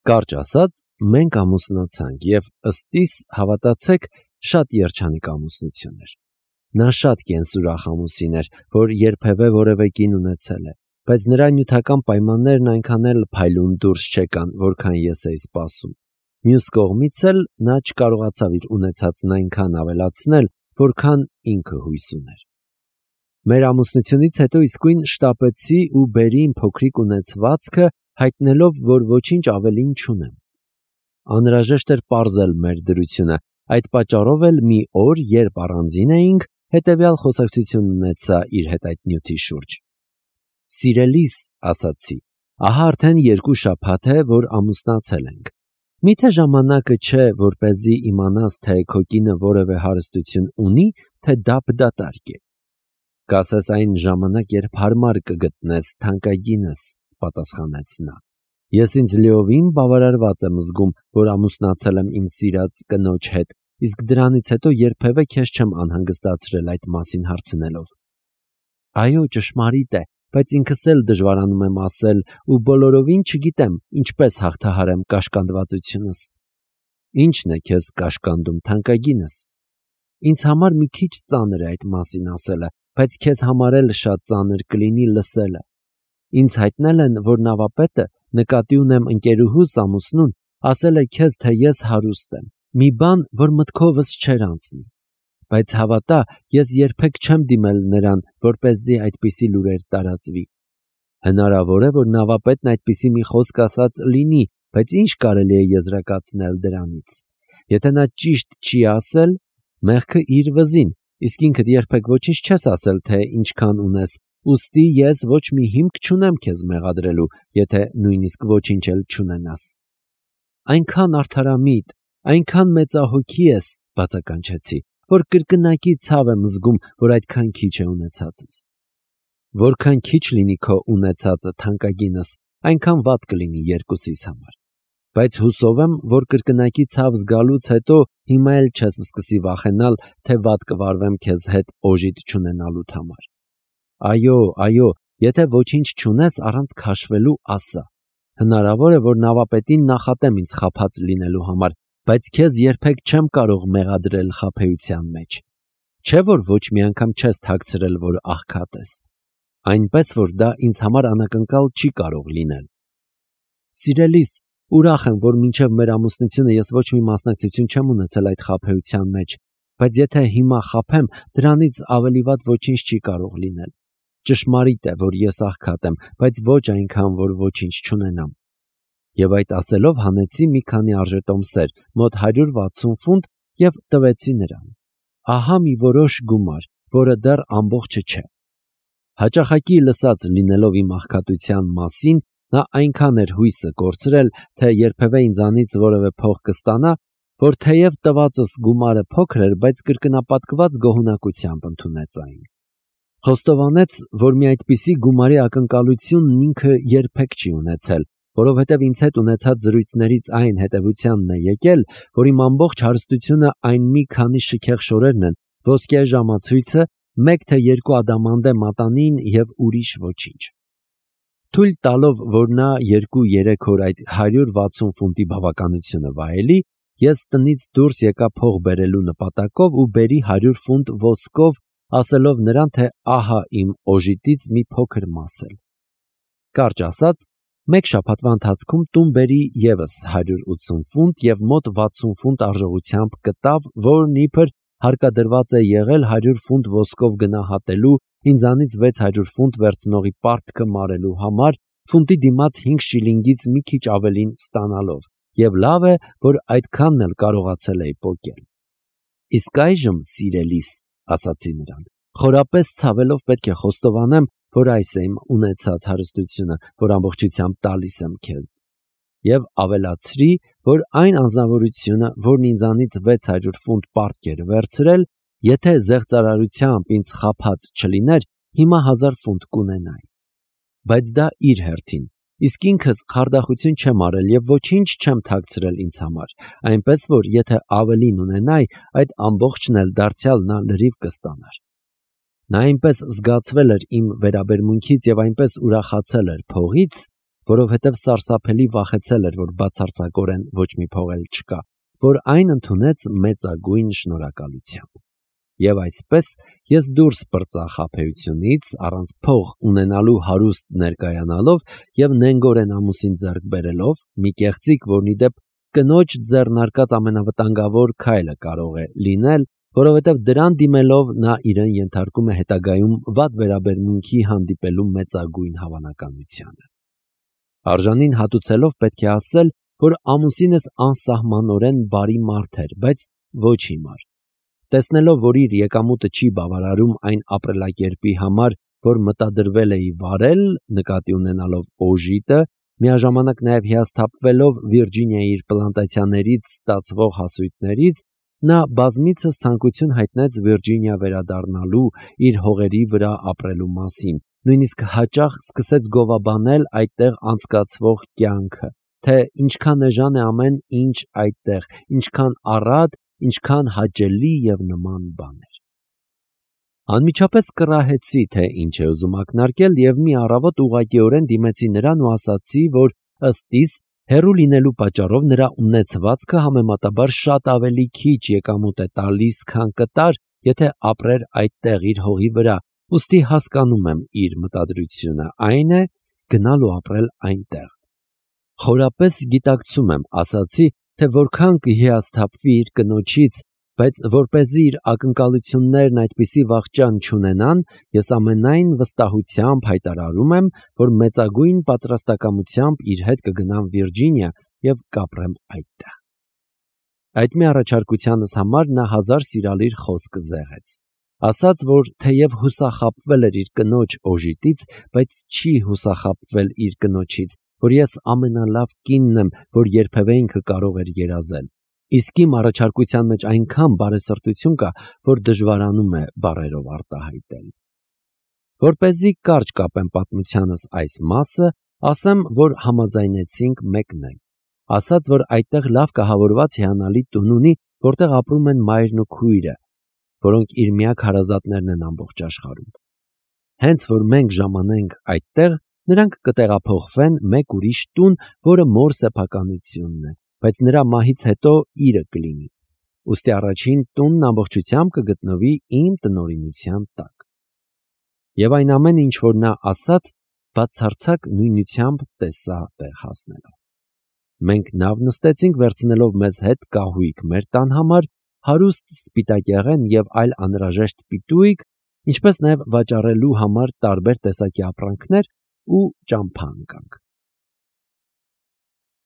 Կարճ ասած, մենք ամուսնացանք և ըստիս հավատացեք շատ երջանիկ ամուսնություն էր։ Նա շատ կենսուրախ ամուսին էր, որ երբևէ որևէ կին ունեցել է, բայց նրա նյութական պայմաններն այնքան էլ փայլուն դուրս չեկան, որքան ես էի սպասում։ Մյուս կողմից էլ նա չկարողացավ իր ունեցածն այնքան ավելացնել, որքան ինքը հույս ուներ։ Մեր ամուսնությունից հետո իսկույն շտապեցի ու բերի իմ փոքրիկ ունեցվածքը, հայտնելով, որ ոչինչ ավելին չունեմ։ Անհրաժեշտ էր պարզել մեր դրությունը, այդ պատճառով էլ մի օր, երբ առանձին էինք, հետևյալ խոսակցություն ունեցա իր հետ այդ նյութի շուրջ։ Սիրելիս, ասացի, ահա արդեն 2 շաբաթ է, որ ամուսնացել ենք։ Միթե ժամանակը չէ, որպեսզի իմանաս, թե քո կինը որևէ հարստություն ունի, թե դափ-դատարկ է։ Կասես այն ժամանակ, երբ հարմար կգտնես թանկագինս, պատասխանեց նա։ Ես ինձ լիովին բավարարված եմ զգում, որ ամուսնացել եմ իմ սիրած կնոջ հետ, իսկ դրանից հետո երբևէ քեզ չեմ անհանգստացրել այդ մասին հարցնելով։ Այո, ճշմարիտ է, բայց ինքս էլ դժվարանում եմ ասել ու բոլորովին չգիտեմ ինչպես հաղթահարեմ կաշկանդվածությունս։ Ի՞նչն է քեզ կաշկանդում, թանկագինս։ Ինձ համար մի քիչ ծանր է այդ մասին ասելը, բայց քեզ համար էլ շատ ծանր կլինի լսելը։ Ինձ հայտնել են, որ նավապետը, նկատի ունեմ ընկերուհուս ամուսնուն, ասել է քեզ, թե ես հարուստ եմ, մի բան, որ մտքովս չէր անցնի։ Բայց հավատա, ես երբեք չեմ դիմել նրան, որպեսզի այդպիսի լուրեր տարածվի։ Հնարավոր է, որ նավապետն այդպիսի մի խոսք ասած լինի, բայց ինչ կարելի է եզրակացնել դրանից։ Եթե նա ճիշտ չի ասել, մեղքը իր վզին, իսկ ինքդ երբեք ոչինչ չես ասել, թե ինչքան ունես, ուստի ես ոչ մի հիմք չունեմ քեզ մեղադրելու, եթե նույնիսկ ոչինչ էլ չունենաս։ Այնքան արդարամիտ, այնքան մեծահոգի ես, բացականչեցի, որ կրկնակի ցավ եմ զգում, որ այդքան քիչ է ունեցածս։ Որքան քիչ լինի քո ունեցածը, թանկագինս, այնքան վատ կլինի երկուսիս համար։ Բայց հուսով եմ, որ կրկնակի ցավ զգալուց հետո հիմա էլ չես սկսի վախենալ, թե վատ կվարվեմ քեզ հետ օժիտ չունենալուդ համար։ Այո, եթե ոչինչ չունես առանց քաշվելու, ասա։ Հնարավոր է, որ նավապետին նախատեմ ինձ խաբած լինելու համար, բայց քեզ երբեք չեմ կարող մեղադրել խաբեության մեջ։ Չէ՞ որ ոչ մի անգամ չես թաքցրել, որ աղքատ ես։ Այնպես որ դա ինձ համար անակնկալ չի կարող լինել։ Սիրելիս, ուրախ եմ, որ մինչև մեր ամուսնությունը ես ոչ մի մասնակցություն չեմ ունեցել այդ խաբեության մեջ, բայց եթե հիմա խաբեմ, դրանից ավելի վատ ոչինչ չի կարող լինել։ Ճշմարիտ է, որ ես աղքատ եմ, բայց ոչ այնքան, որ ոչինչ չունենամ։ Եվ այդ ասելով հանեցի մի քանի արժետոմսեր, մոտ 160 ֆունտ և տվեցի նրան։ Ահա մի որոշ գումար, որը դեռ ամբողջը չէ։ Հաճախակի լսած լինելով իմ աղքատության մասին, նա այնքան էր հույսը կորցրել, թե երբևէ ինձանից որևէ փող կստանա, որ թեև տվածս գումարը փոքր էր, բայց կրկնապատկված գոհունակությամբ ընդունեց այն։ Խոստովանեց, որ մի այդպիսի գումարի ակնկալությունն ինքը երբեք չի ունեցել, որովհետև ինձ հետ ունեցած զրույցներից այն հետևությանն է եկել, որ իմ ամբողջ հարստությունը այն մի քանի շքեղ շորերն են, ոսկե ժամացույցը, 1 թե 2 ադամանդե մատանին և ուրիշ ոչինչ։ Թույլ տալով, որ նա 2-3 օր այդ 160 ֆունտի բավականությունը վայելի, ես տնից դուրս եկա փող բերելու նպատակով ու բերի 100 ֆունտ ոսկով, ասելով նրան, թե ահա իմ օժիտից մի փոքր մաս էլ։ Կարճ ասած, 1 շաբաթվա ընթացքում տուն բերի ևս 180 ֆունտ և մոտ 60 ֆունտ արժողությամբ կտավ, որն իբր հարկադրված է եղել 100 ֆունտ ոսկով գնահատելու, ինձանից 600 ֆունտ վերցնողի պարտքը մարելու համար, ֆունտի դիմաց 5 շիլինգից մի քիչ ավելին ստանալով, և լավ է, որ այդքանն էլ կարողացել էի պոկել։ Իսկ այժմ, սիրելիս, ասացի նրան, խորապես ցավելով պետք է խոստովանեմ, որ այս է իմ ունեցած հարստությունը, որ ամբողջությամբ տալիս եմ քեզ։ Եվ ավելացրի, որ այն անձնավորությունը, որն ինձանից 600 ֆունտ պարտք էր վերցրել, եթե զեղծարարությամբ ինձ խաբած չլիներ, հիմա 1000 ֆունտ կունենայի։ Բայց դա իր հերթին, իսկ ինքս խարդախություն չեմ արել և ոչինչ չեմ թաքցրել ինձ համար, այնպես որ եթե ավելին ունենայի, այդ ամբողջն էլ դարձյալ նա լրիվ կստանար։ Նա այնպես զգացվել էր իմ վերաբերմունքից և այնպես ուրախացել էր փողից, որովհետև սարսափելի վախեցել էր, որ բացարձակորեն ոչ մի փող էլ չկա, որ այն ընդունեց մեծագույն շնորհակալությամբ։ Եվ այսպես ես դուրս պրծա խաբեությունից, առանց փող ունենալու հարուստ ներկայանալով եւ նենգորեն ամուսին ձեռք բերելով, մի կեղծիկ, որն ի դեպ կնոջ ձեռնարկած ամենավտանգավոր քայլը կարող է լինել, որովհետև դրան դիմելով նա իրեն ենթարկում է հետագայում վատ վերաբերմունքի հանդիպելու մեծագույն հավանականությանը։ Արժանին հատուցելով պետք է ասել, որ ամուսինս անսահմանորեն բարի մարդ էր, բայց ոչ հիմար։ Տեսնելով, որ իր եկամուտը չի բավարարում այն ապրելակերպի համար, որ մտադրվել էի վարել, նկատի ունենալով օժիտը, միաժամանակ նաև հիասթափվելով Վիրջինիայի իր պլանտացիաներից ստացվող հասույթներից, նա բազմիցս ցանկություն հայտնեց Վիրջինիա վերադառնալու, իր հողերի վրա ապրելու մասին, նույնիսկ հաճախ սկսեց գովաբանել այդտեղ անցկացվող կյանքը, թե ինչքան էժան է ամեն ինչ այդտեղ, ինչքան առատ, ինչքան հաճելի եւ նման բաներ։ Անմիջապես կռահեցի, թե ինչ է ուզում ակնարկել եւ մի առավոտ ուղղակիորեն դիմեցի նրան ու ասացի, որ ըստ իս հեռու լինելու պատճառով նրա ունեցվածքը համեմատաբար շատ ավելի քիչ եկամուտ է տալիս, քան կտար, եթե ապրեր այդտեղ իր հողի վրա, ուստի հասկանում եմ իր մտադրությունը, այն է գնալ ու ապրել այնտեղ։ Խորապես գիտակցում եմ, ասացի, թե որքան կհիասթափվի իր կնոջից, բայց որպեսզի իր ակնկալություններն այդպիսի վախճան չունենան, ես ամենայն վստահությամբ հայտարարում եմ, որ մեծագույն պատրաստակամությամբ իր հետ կգնամ Վիրջինիա եւ կապրեմ այդտեղ։ Այդ մի առաջարկությանս համար նա հազար սիրալիր խոսք զեղեց։ Ասաց, որ թեև հուսախաբվել էր իր կնոջ օժիտից, բայց չի հուսախաբվել իր կնոջից, որ ես ամենալավ կինն եմ, որ երբևէ ինքը կարող էր երազել։ Իսկ իմ առաջարկության մեջ այնքան բարեսրտություն կա, որ դժվարանում է բառերով արտահայտել։ Որպեսզի կարճ կապեմ պատմությանս այս մասը, ասեմ, որ համաձայնեցինք մեկնել։ Ասաց, որ այդտեղ լավ կահավորված հիանալի տուն ունի, որտեղ ապրում են մայրն ու քույրը, որոնք իր միակ հարազատներն են ամբողջ աշխարհում։ Հենց որ մենք ժամանենք այդտեղ, նրանք կտեղափոխվեն մեկ ուրիշ տուն, որը մոր սեփականությունն է, բայց նրա մահից հետո իրը կլինի։ Ուստի առաջին տունն ամբողջությամբ կգտնվի իմ տնօրինության տակ։ Եվ այն ամենը, ինչ որ նա ասաց, բացարձակ նույնությամբ տեսա տեղ հասնելով։ Մենք նավ նստեցինք, վերցնելով մեզ հետ կահույք մեր տան համար, հարուստ սպիտակեղեն եւ այլ անհրաժեշտ պիտույկ, ինչպես նաեւ վաճառելու համար տարբեր տեսակի ապրանքներ ու ճամփա անկանք։